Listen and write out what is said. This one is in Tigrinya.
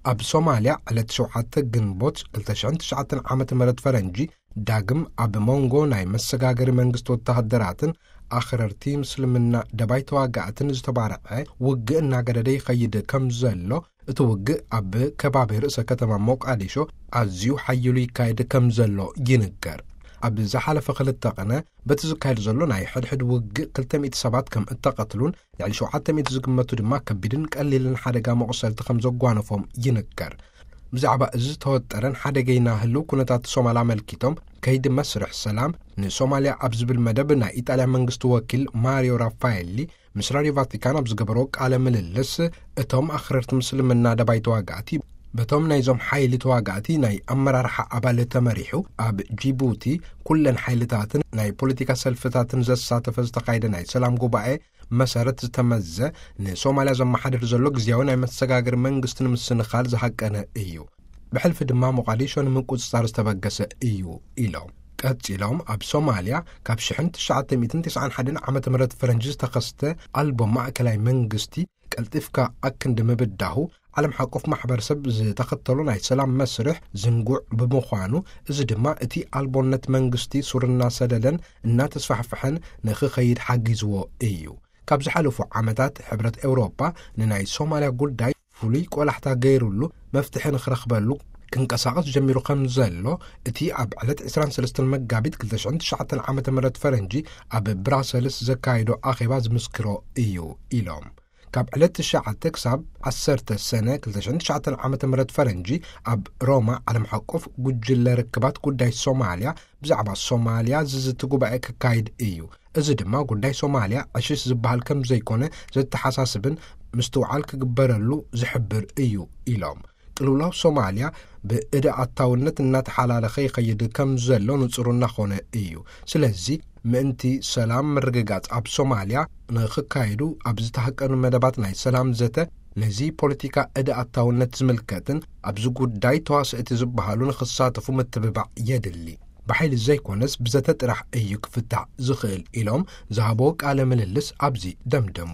ኣብ ሶማልያ ዕለት ሸውዓተ ግንቦት ክልተ ሽሕን ትሽዓተን ዓመተ ምህረት ፈረንጂ ዳግም ኣብ መንጎ ናይ መሰጋገሪ መንግስቲ ወተሃደራትን ኣኽረርቲ ምስልምና ደባይ ተዋጋእትን ዝተባርዐ ውግእ እናገደደ ይኸይድ ከም ዘሎ፣ እቲ ውግእ ኣብ ከባቢ ርእሰ ከተማ ሞቃዲሾ ኣዝዩ ሓይሉ ይካየድ ከም ዘሎ ይንገር። ኣብ ዝሓለፈ ክልተ ቕነ በቲ ዝካየድ ዘሎ ናይ ሕድሕድ ውግእ ክልተ ሚእቲ ሰባት ከም እተቐትሉን ልዕሊ ሸውዓተ ሚእቲ ዝግመቱ ድማ ከቢድን ቀሊልን ሓደጋ መቑሰልቲ ከም ዘጓነፎም ይንገር። ብዛዕባ እዚ ዝተወጠረን ሓደገይና ህልው ኩነታት ሶማል ኣመልኪቶም፣ ከይዲ መስርሕ ሰላም ንሶማልያ ኣብ ዝብል መደብ ናይ ኢጣልያ መንግስቲ ወኪል ማሪዮ ራፋኤሊ ምስ ራድዮ ቫቲካን ኣብ ዝገበሮ ቃለ ምልልስ፣ እቶም ኣኽረርቲ ምስልምና ደባይ ተዋጋእቲ በቶም ናይዞም ሓይሊ ተዋጋእቲ ናይ ኣመራርሓ ኣባል ተመሪሑ ኣብ ጂቡቲ ኩለን ሓይልታትን ናይ ፖለቲካ ሰልፍታትን ዘሳተፈ ዝተኻየደ ናይ ሰላም ጉባኤ መሰረት ዝተመዘ፣ ንሶማልያ ዘመሓድር ዘሎ ግዜያዊ ናይ መሰጋገሪ መንግስቲ ንምስንኻል ዝሃቀነ እዩ። ብሕልፊ ድማ ሞቓዲሾ ንምቁጽጻር ዝተበገሰ እዩ ኢሎም። ቀጺሎም፣ ኣብ ሶማልያ ካብ ሽሕን ትሽዓተ ሚእትን ተስዓን ሓደን ዓመተ ምህረት ፈረንጂ ዝተኸስተ ኣልቦ ማእከላይ መንግስቲ ቀልጢፍካ ኣክንዲ ምብዳሁ፣ ዓለም ሓቆፍ ማሕበረሰብ ዝተኸተሎ ናይ ሰላም መስርሕ ዝንጉዕ ብምዃኑ፣ እዚ ድማ እቲ ኣልቦነት መንግስቲ ሱር እናሰደደን እናተስፋሕፍሐን ንኽኸይድ ሓጊዝዎ እዩ። ካብ ዝሓለፉ ዓመታት ሕብረት ኤውሮጳ ንናይ ሶማልያ ጉዳይ ፍሉይ ቆላሕታ ገይሩሉ መፍትሒ ንኽረኽበሉ ክንቀሳቐስ ጀሚሩ ከም ዘሎ እቲ ኣብ ዕለት ዕስራን ሰለስተን መጋቢት ክልተ ሽሕን ትሽዓተን ዓመተ ምህረት ፈረንጂ ኣብ ብራሰልስ ዘካየዶ ኣኼባ ዝምስክሮ እዩ ኢሎም። ካብ ዕለት ትሽዓተ ክሳብ ዓሰርተ ሰነ ክልተ ሽሕን ትሽዓተን ዓመተ ምህረት ፈረንጂ ኣብ ሮማ ዓለም ሓቆፍ ጉጅለ ርክባት ጉዳይ ሶማልያ ብዛዕባ ሶማልያ ዝዝቲ ጉባኤ ክካይድ እዩ። እዚ ድማ ጉዳይ ሶማልያ ዕሽሽ ዝበሃል ከም ዘይኮነ ዘተሓሳስብን ምስትውዓል ክግበረሉ ዝሕብር እዩ ኢሎም። ቅልውላው ሶማልያ ብእደ ኣታውነት እናተሓላለኸ ይኸይድ ከም ዘሎ ንጹር እናኾነ እዩ። ስለዚ ምእንቲ ሰላም ምርግጋጽ ኣብ ሶማልያ ንኽካየዱ ኣብ ዝተሃቀኑ መደባት ናይ ሰላም ዘተ ነዚ ፖለቲካ እደ ኣታውነት ዝምልከትን ኣብዚ ጉዳይ ተዋስእቲ ዝበሃሉ ንኽሳተፉ ምትብባዕ የድሊ። ብሓይሊ ዘይኮነስ ብዘተ ጥራሕ እዩ ክፍታሕ ዝኽእል ኢሎም ዝሃቦ ቃለ ምልልስ ኣብዚ ደምደሙ።